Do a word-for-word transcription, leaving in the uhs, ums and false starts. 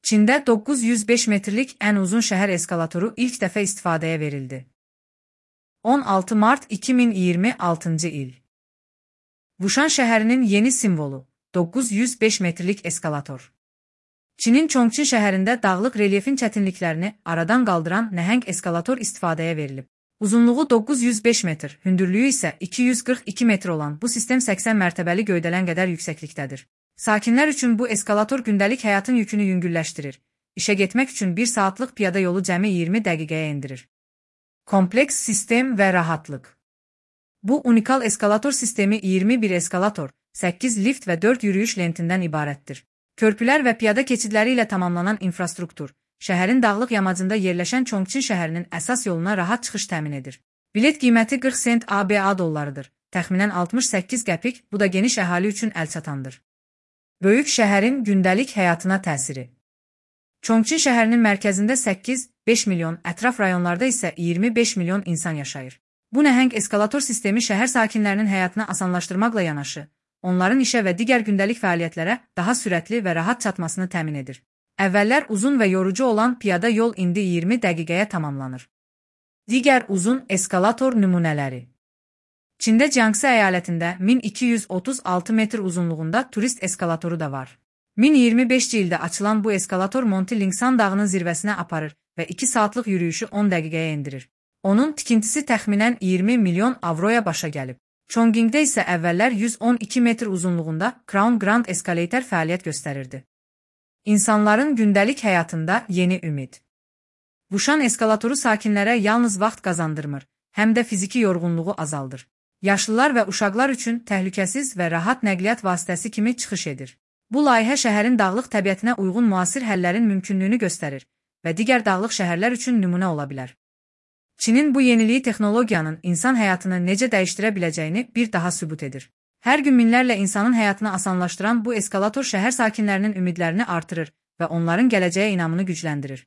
Çində doqquz yüz beş metrlik ən uzun şəhər eskalatoru ilk dəfə istifadəyə verildi. on altı mart iki min iyirmi altıncı il. Vuşan şəhərinin yeni simvolu, doqquz yüz beş metrlik eskalator. Çinin Çongqin şəhərində dağlıq relyefin çətinliklərini aradan qaldıran nəhəng eskalator istifadəyə verilib. Uzunluğu doqquz yüz beş metr, hündürlüyü isə iki yüz qırx iki metr olan bu sistem səksən mərtəbəli göydələn qədər yüksəklikdədir. Sakinlər üçün bu eskalator gündəlik həyatın yükünü yüngülləşdirir. İşə getmək üçün bir saatlıq piyada yolu cəmi iyirmi dəqiqəyə endirir. Kompleks sistem və rahatlıq. Bu unikal eskalator sistemi iyirmi bir eskalator, səkkiz lift və dörd yürüyüş lentindən ibarətdir. Körpülər və piyada keçidləri ilə tamamlanan infrastruktur, şəhərin dağlıq yamacında yerləşən Çongqin şəhərinin əsas yoluna rahat çıxış təmin edir. Bilet qiyməti qırx sent A B A dollarıdır, təxminən altmış səkkiz qəpik, bu da geniş əhali üçün əlçatandır. Böyük şəhərin gündəlik həyatına təsiri. Çongqin şəhərinin mərkəzində səkkiz beş milyon, ətraf rayonlarda isə iyirmi beş milyon insan yaşayır. Bu nəhəng eskalator sistemi şəhər sakinlərinin həyatını asanlaşdırmaqla yanaşı, onların işə və digər gündəlik fəaliyyətlərə daha sürətli və rahat çatmasını təmin edir. Əvvəllər uzun və yorucu olan piyada yol indi iyirmi dəqiqəyə tamamlanır. Digər uzun eskalator nümunələri. Çində Jiangxi əyalətində min iki yüz otuz altı metr uzunluğunda turist eskalatoru da var. min iyirmi beşinci ildə açılan bu eskalator Monti Lingsan dağının zirvəsinə aparır və iki saatlıq yürüyüşü on dəqiqəyə endirir. Onun tikintisi təxminən iyirmi milyon avroya başa gəlib. Chongqingdə isə əvvəllər yüz on iki metr uzunluğunda Crown Grand Escalator fəaliyyət göstərirdi. İnsanların gündəlik həyatında yeni ümid. Vuşan eskalatoru sakinlərə yalnız vaxt qazandırmır, həm də fiziki yorğunluğu azaldır. Yaşlılar və uşaqlar üçün təhlükəsiz və rahat nəqliyyat vasitəsi kimi çıxış edir. Bu layihə şəhərin dağlıq təbiətinə uyğun müasir həllərin mümkünlüyünü göstərir və digər dağlıq şəhərlər üçün nümunə ola bilər. Çinin bu yeniliyi texnologiyanın insan həyatını necə dəyişdirə biləcəyini bir daha sübut edir. Hər gün minlərlə insanın həyatını asanlaşdıran bu eskalator şəhər sakinlərinin ümidlərini artırır və onların gələcəyə inamını gücləndirir.